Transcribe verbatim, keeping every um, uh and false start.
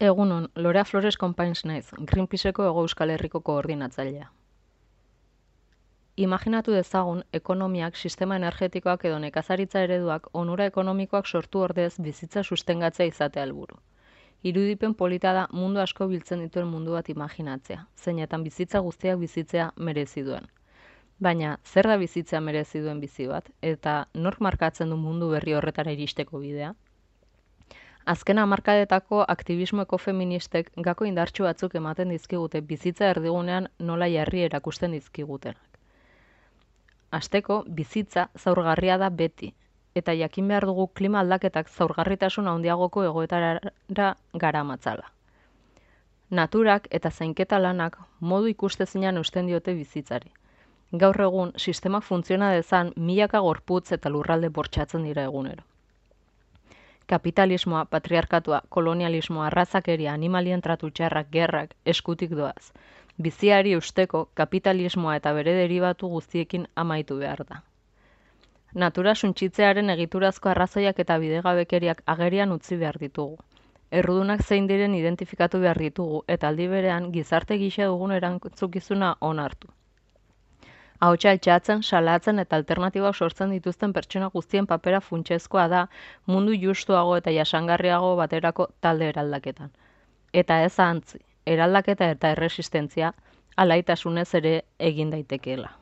Egunon, Lorea Flores Companys naiz, Greenpeaceko Hego Euskal Herriko koordinatzailea. Imaginatu dezagun ekonomiak, sistema energetikoak edo nekazaritza ereduak onura ekonomikoak sortu ordez bizitza sustengatzea izatea helburu. Irudipen polita da mundu asko biltzen dituen mundu bat imaginatzea, zeinetan bizitza guztiak bizitzea merezi duen. Baina, zer da bizitzea merezi duen bizi bat, eta nork markatzen du mundu berri horretara iristeko bidea? Azken hamarkadetako aktivismo ekofeministek gako indartsu batzuk ematen dizkigute bizitza erdigunean nola jarri erakusten dizkigutenak. Hasteko, bizitza zaurgarria da beti, eta jakin behar dugu klima aldaketak zaurgarritasun handiagoko egoetara garamatzala. Naturak eta zainketa lanak modu ikustezinan eusten diote bizitzari. Gaur egun, sistemak funtziona dezan milaka gorputz eta lurralde bortxatzen dira egunero. Kapitalismoa, patriarkatua, kolonialismoa, arrazakeria, animalien tratu txarrak, gerrak, eskutik doaz. Biziari eusteko kapitalismoa eta bere deribatu guztiekin amaitu behar da. Natura suntsitzearen egiturazko arrazoiak eta bidegabekeriak agerian utzi behar ditugu. Errudunak zein diren identifikatu behar ditugu eta aldi berean gizarte gisa dugun erantzukizuna onartu. Ahotsa altxatzen, salatzen eta alternatibak sortzen dituzten pertsona guztien papera funtsezkoa da mundu justuago eta jasangarriago baterako talde eraldaketan. Eta ez ahantzi, eraldaketa eta erresistentzia alaitasunez ere egin daitekeela.